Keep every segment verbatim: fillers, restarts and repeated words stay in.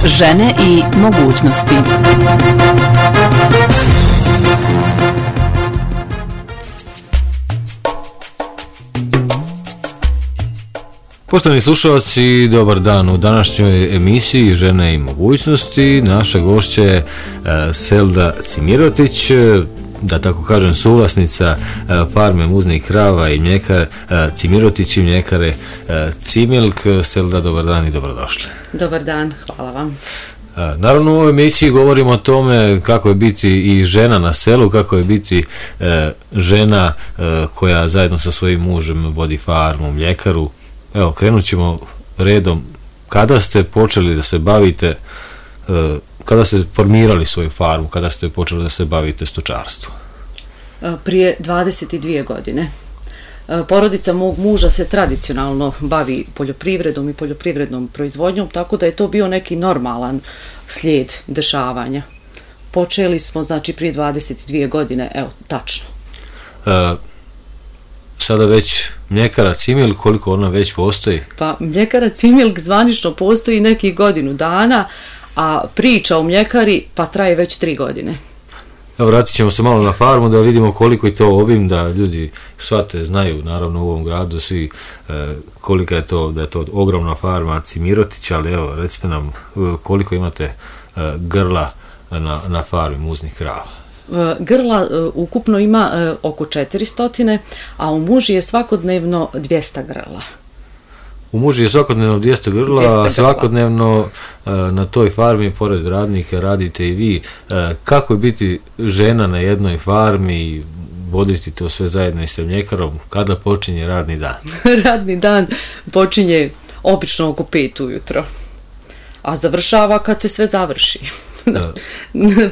Žene i mogućnosti. Poštovani slušalci, dobar dan. U današnjoj emisiji Žene i mogućnosti naša gošća je Selda Cimirotić, da tako kažem suvlasnica farme muznih krava i mljekar Cimirotić i mljekare Cimilk. Selda, dobar dan i dobrodošli. Dobar dan, hvala vam. Naravno, u ovoj emisiji govorimo o tome kako je biti i žena na selu, kako je biti e, žena e, koja zajedno sa svojim mužem vodi farmu, mljekaru. Evo, krenut ćemo redom. Kada ste počeli da se bavite, e, kada ste formirali svoju farmu, kada ste počeli da se bavite stočarstvom? Prije dvadeset dvije godine. Porodica mog muža se tradicionalno bavi poljoprivredom i poljoprivrednom proizvodnjom, tako da je to bio neki normalan slijed dešavanja. Počeli smo, znači, prije dvadeset dvije godine, evo, tačno. E, sada već mljekara Cimilk, koliko ona već postoji? Pa, mljekara Cimilk zvanično postoji nekih godinu dana, a priča o mljekari pa traje već tri godine. Evo, vratit ćemo se malo na farmu da vidimo koliko je to obim, da ljudi shvate, znaju naravno u ovom gradu svi e, kolika je to, da je to ogromna farma Cimirotić, ali evo, recite nam koliko imate e, grla na, na farmi muznih krava. Grla e, ukupno ima e, oko četiristo, a u muži je svakodnevno dvjesto grla. U muži je svakodnevno dvjesto grla, a svakodnevno e, na toj farmi, pored radnika, radite i vi. E, kako je biti žena na jednoj farmi i voditi to sve zajedno i sa mljekarom? Kada počinje radni dan? Radni dan počinje obično oko pet ujutro, a završava kad se sve završi.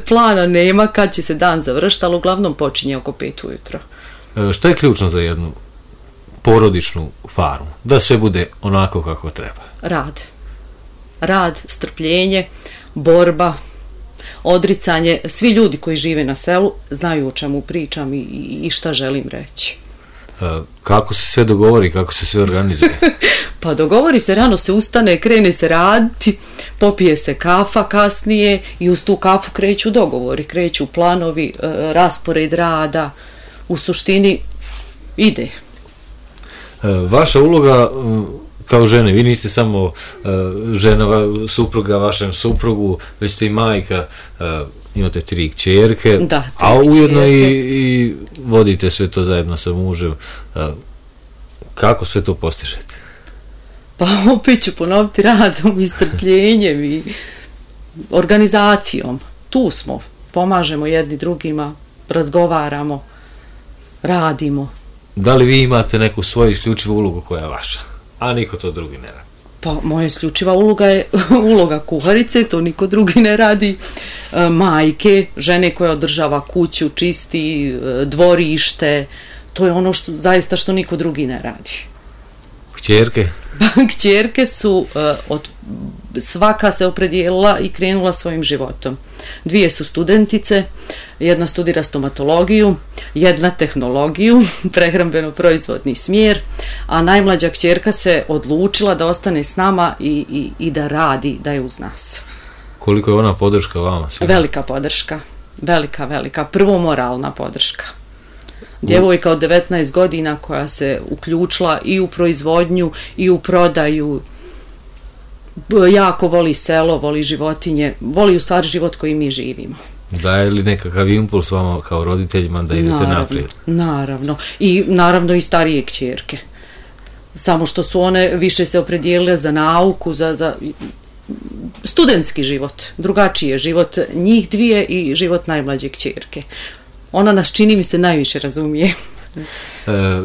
Plana nema kad će se dan završiti, ali uglavnom počinje oko pet ujutro. E, što je ključno za jednu porodičnu farmu, da sve bude onako kako treba? Rad. Rad, strpljenje, borba, odricanje. Svi ljudi koji žive na selu znaju o čemu pričam i, i šta želim reći. E, kako se sve dogovori, kako se sve organizuje? Pa dogovori se, rano se ustane, krene se raditi, popije se kafa kasnije i uz tu kafu kreću dogovori, kreću planovi, e, raspored rada, u suštini ide. Vaša uloga kao žene, vi niste samo žena supruga vašem suprugu, već ste i majka, imate tri kćerke, da, a ujedno i, i vodite sve to zajedno sa mužem. Kako sve to postižete? Pa opet ću ponoviti, radom i strpljenjem i organizacijom. Tu smo, pomažemo jedni drugima, razgovaramo, radimo. Da li vi imate neku svoju isključivu ulogu koja je vaša, a niko to drugi ne radi? Pa moja isključiva uloga je uloga kuharice, to niko drugi ne radi. E, majke, žene koja održava kuću, čisti dvorište, to je ono što zaista što niko drugi ne radi. Kćerke? Kćerke su e, od svaka se opredijelila i krenula svojim životom. Dvije su studentice, jedna studira stomatologiju, jedna tehnologiju, prehrambeno-proizvodni smjer, a najmlađa kćerka se odlučila da ostane s nama i, i, i da radi, da je uz nas. Koliko je ona podrška vama? Svima? Velika podrška, velika, velika, prvo moralna podrška. Djevojka od devetnaest godina koja se uključila i u proizvodnju i u prodaju, jako voli selo, voli životinje, voli u stvari život koji mi živimo. Daje li nekakav impuls vama kao roditeljima da idete naravno, naprijed? Naravno. I naravno i starije kćerke. Samo što su one više se opredijelile za nauku, za, za studentski život, drugačiji je život njih dvije i život najmlađe kćerke. Ona nas, čini mi se, najviše razumije. E,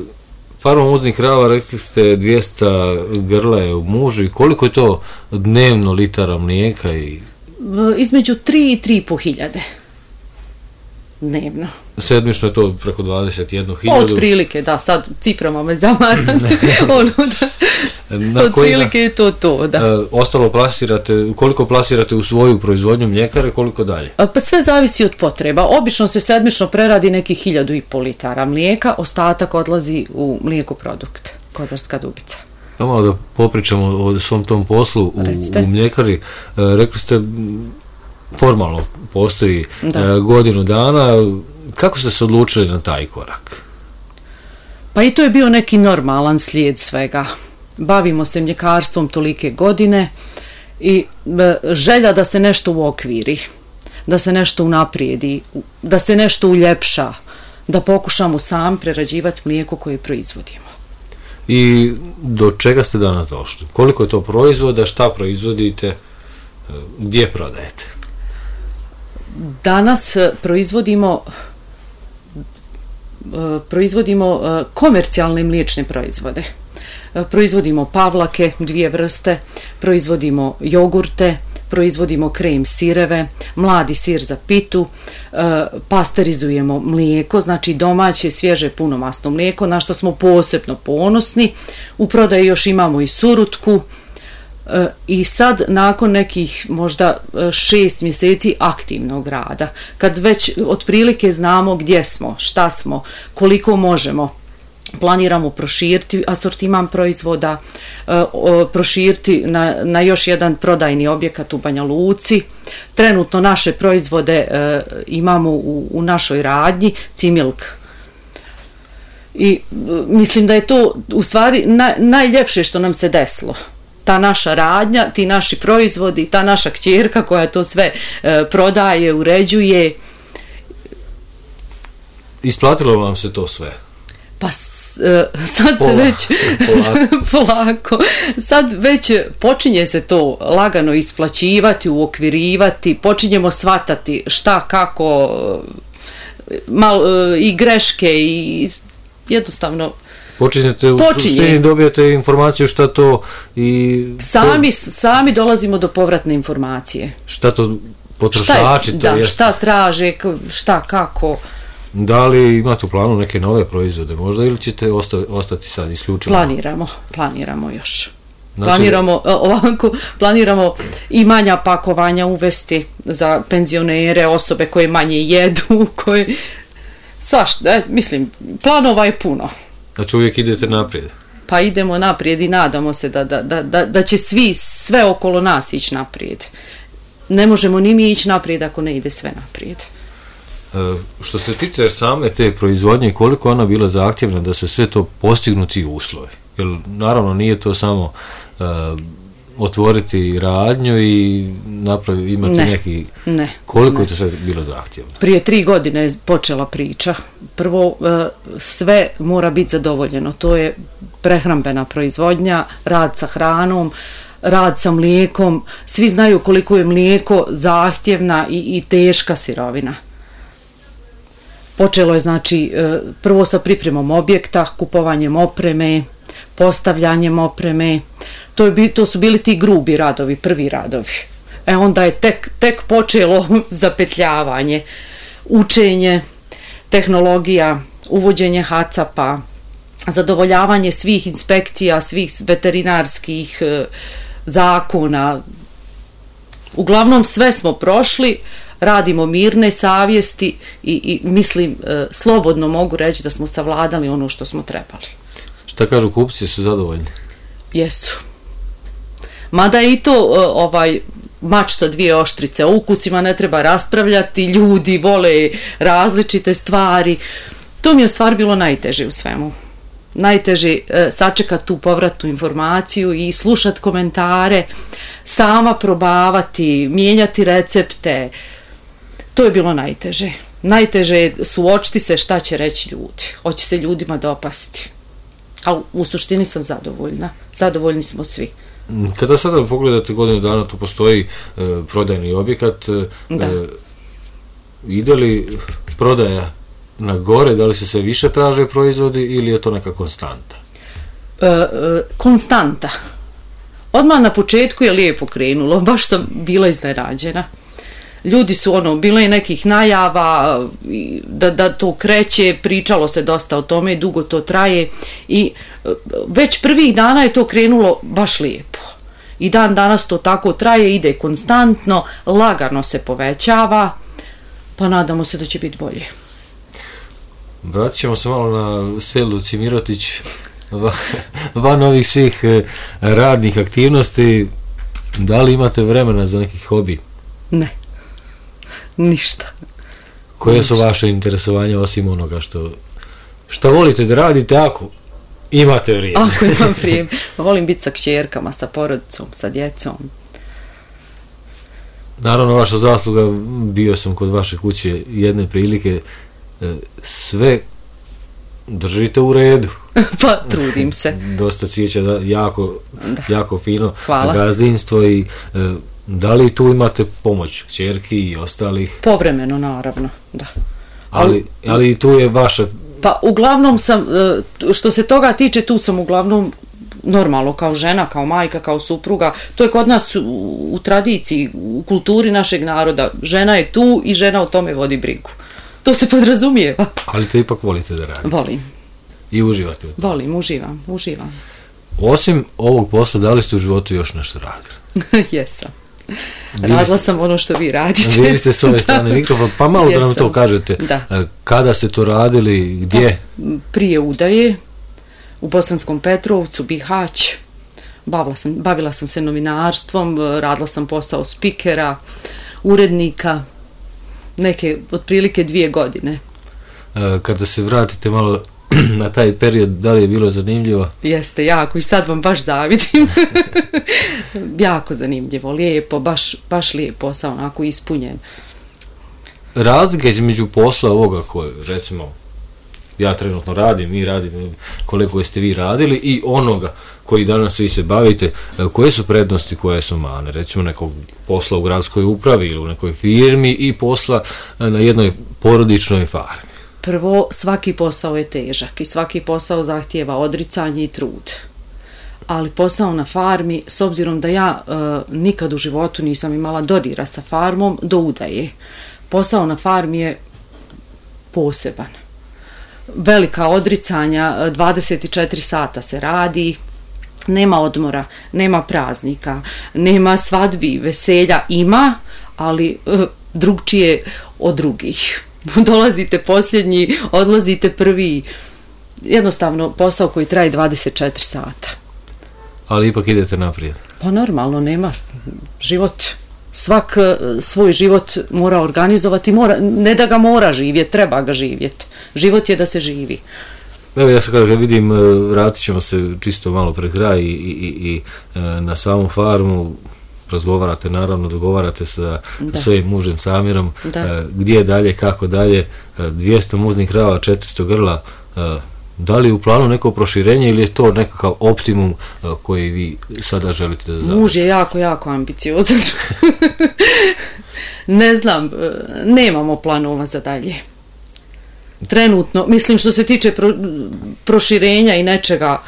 farma muznih krava, rekli ste dvjesto grla je u muži. Koliko je to dnevno litara mlijeka? I... Između tri i tri i po hiljade. Dnevno. Sedmično je to preko dvadeset jednu hiljadu. Od prilike, da, sad ciframa me zamara. ono da, od prilike je to to, da. E, ostalo plasirate, koliko plasirate u svoju proizvodnju mljekare, koliko dalje? Pa sve zavisi od potreba. Obično se sedmično preradi nekih hiljadu i pol litara mlijeka, ostatak odlazi u mlijekoprodukt, Kozarska Dubica. malo da popričamo o svom tom poslu u, u mljekari. E, rekli ste, formalno postoji e, godinu dana. Kako ste se odlučili na taj korak? Pa i to je bio neki normalan slijed svega. Bavimo se mljekarstvom tolike godine i e, želja da se nešto uokviri, da se nešto unaprijedi, da se nešto uljepša, da pokušamo sam prerađivati mlijeko koje proizvodimo. I do čega ste danas došli? Koliko je to proizvoda, šta proizvodite, gdje prodajete? Danas proizvodimo proizvodimo komercijalne mliječne proizvode. Proizvodimo pavlake, dvije vrste, proizvodimo jogurte, proizvodimo krem sireve, mladi sir za pitu, pasterizujemo mlijeko, znači domaće, svježe, punomasno mlijeko, na što smo posebno ponosni. U prodaji još imamo i surutku. I sad, nakon nekih možda šest mjeseci aktivnog rada, kad već otprilike znamo gdje smo, šta smo, koliko možemo, planiramo proširiti asortiman proizvoda, proširiti na, na još jedan prodajni objekat u Banja Luci. Trenutno naše proizvode imamo u, u našoj radnji, Cimilk. I mislim da je to u stvari naj, najljepše što nam se desilo. Ta naša radnja, ti naši proizvodi, ta naša kćerka koja to sve e, prodaje, uređuje. Isplatilo vam se to sve? Pa s, e, sad Pola, se već polako. polako, sad već počinje se to lagano isplaćivati, uokvirivati, počinjemo shvatati šta, kako, mal, e, i greške i jednostavno Počinjete u suštini, dobijate informaciju šta to i... Sami, sami dolazimo do povratne informacije. Šta to potrošači to da, jest? Šta traže, šta, kako. Da li imate u planu neke nove proizvode možda ili ćete osta, ostati sad isključivo? Planiramo, planiramo još. Znači, planiramo, ovako, planiramo i manja pakovanja uvesti za penzionere, osobe koje manje jedu, koje... Svašta, e, mislim, planova je puno. Znači uvijek idete naprijed? Pa idemo naprijed i nadamo se da, da, da, da, da će svi, sve okolo nas ići naprijed. Ne možemo ni mi ići naprijed ako ne ide sve naprijed. E, što se tiče same te proizvodnje, koliko ona bila zahtjevna da se sve to postignuti uslovi? Jer naravno nije to samo e, otvoriti radnju i napravi, imati ne, neki... Ne. Koliko ne. je to sve bilo zahtjevno? Prije tri godine je počela priča. Prvo, sve mora biti zadovoljeno. To je prehrambena proizvodnja, rad sa hranom, rad sa mlijekom. Svi znaju koliko je mlijeko zahtjevna i, i teška sirovina. Počelo je znači prvo sa pripremom objekta, kupovanjem opreme, postavljanjem opreme. To, je, to su bili ti grubi radovi, prvi radovi. E onda je tek, tek počelo zapetljavanje, učenje, tehnologija, uvođenje hacapa, zadovoljavanje svih inspekcija, svih veterinarskih e, zakona. Uglavnom sve smo prošli, radimo mirne savjesti i, i mislim, e, slobodno mogu reći da smo savladali ono što smo trebali. Šta kažu kupci, su zadovoljni? Jesu. Mada je i to e, ovaj... mač sa dvije oštrice, o ukusima ne treba raspravljati, ljudi vole različite stvari. To mi je u stvari bilo najteže u svemu. Najteže e, sačekati tu povratnu informaciju i slušati komentare, sama probavati, mijenjati recepte. To je bilo najteže. Najteže je suočiti se šta će reći ljudi. Hoće se ljudima dopasti. A u suštini sam zadovoljna. Zadovoljni smo svi. Kada sada pogledate godinu dana, tu postoji e, prodajni objekat, e, ide li prodaja na gore, da li se sve više traže proizvodi ili je to neka konstanta? E, e, konstanta. Odmah na početku je lijepo krenulo, baš sam bila iznenađena. Ljudi su ono, bilo je nekih najava da, da to kreće, pričalo se dosta o tome, dugo to traje i već prvih dana je to krenulo baš lijepo. I dan danas to tako traje, ide konstantno, lagano se povećava, pa nadamo se da će biti bolje. Vratit ćemo se malo na selu Cimirotić. van ovih svih radnih aktivnosti, da li imate vremena za neki hobi? Ne, ništa. Koje su vaše interesovanja osim onoga što, što volite da radite ako imate vrijeme? Ako imam vrijeme. Volim biti sa kćerkama, sa porodicom, sa djecom. Naravno, vaša zasluga, bio sam kod vaše kuće jedne prilike, sve držite u redu. Pa trudim se. Dosta cvijeća, da, jako, da. jako fino. Hvala. Gazdinstvo i e, da li tu imate pomoć kćerki i ostalih? Povremeno, naravno, da. Ali, ali tu je vaša... Pa uglavnom sam, što se toga tiče, tu sam uglavnom normalno kao žena, kao majka, kao supruga. To je kod nas u, u tradiciji, u kulturi našeg naroda. Žena je tu i žena o tome vodi brigu. To se podrazumijeva. Ali to ipak volite da radite? Volim. I uživate u tome? Volim, uživam, uživam. Osim ovog posla, da li ste u životu još nešto radili? Jesam. Radila sam ono što vi radite. Bili ste s ove strane mikrofona, pa malo da nam to kažete. Da. Kada ste to radili, gdje? Pa, prije udaje, u Bosanskom Petrovcu, Bihać. Bavila sam, bavila sam se novinarstvom, radila sam posao spikera, urednika, neke otprilike dvije godine. Kada se vratite malo na taj period, da li je bilo zanimljivo? Jeste, jako, i sad vam baš zavidim. Jako zanimljivo, lijepo, baš, baš lijep posao, onako ispunjen. Razlika između posla ovoga koje, recimo, ja trenutno radim, mi radim, koliko ste vi radili, i onoga koji danas vi se bavite, koje su prednosti, koje su mane, recimo nekog posla u gradskoj upravi ili u nekoj firmi i posla na jednoj porodičnoj farmi? Prvo, svaki posao je težak i svaki posao zahtijeva odricanje i trud. Ali posao na farmi, s obzirom da ja e, nikad u životu nisam imala dodira sa farmom, do udaje. Posao na farmi je poseban. Velika odricanja, dvadeset četiri sata se radi, nema odmora, nema praznika, nema svadbi, veselja, ima, ali e, drugčije od drugih. Dolazite posljednji, odlazite prvi. Jednostavno posao koji traje dvadeset četiri sata. Ali ipak idete naprijed. Pa normalno, nema život. Svak svoj život mora organizovati, mora, ne da ga mora živjeti, treba ga živjeti. Život je da se živi. Evo, ja sad kada vidim, vratit ćemo se čisto malo pred kraj i, i, i na samu farmu. Razgovarate, naravno, dogovarate sa da. svojim mužem Samirom, da. gdje dalje, kako dalje, dvjesto muznih krava, četiristo grla, da li je u planu neko proširenje ili je to nekakav optimum koji vi sada želite da završite? Muž je jako, jako ambiciozan. Ne znam, nemamo planova za dalje. Trenutno, mislim što se tiče pro, proširenja i nečega,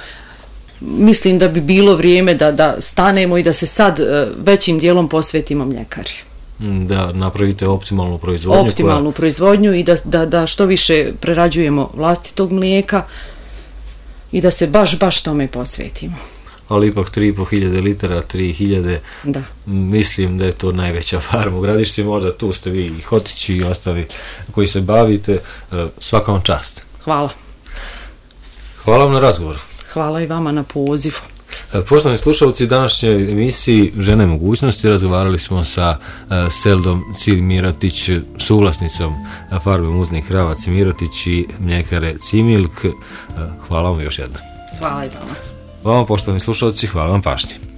mislim da bi bilo vrijeme da, da stanemo i da se sad većim dijelom posvetimo mljekari. Da napravite optimalnu proizvodnju. Optimalnu koja... proizvodnju i da, da, da što više prerađujemo vlastitog mlijeka i da se baš, baš tome posvetimo. Ali ipak tri i po hiljade litara, tri hiljade, da. Mislim da je to najveća farma u Gradišci, možda tu ste vi i Hotići i ostali koji se bavite, svaka vam čast. Hvala. Hvala vam na razgovoru. Hvala i vama na pozivu. Poštovani slušalci, današnjoj emisiji Žene mogućnosti razgovarali smo sa uh, Seldom Cimiratić, suvlasnicom farme muznih krava Cimiratić i mljekare Cimilk. Uh, hvala vam još jednom. Hvala i vama. Vama, poštovani slušalci, hvala vam pažnje.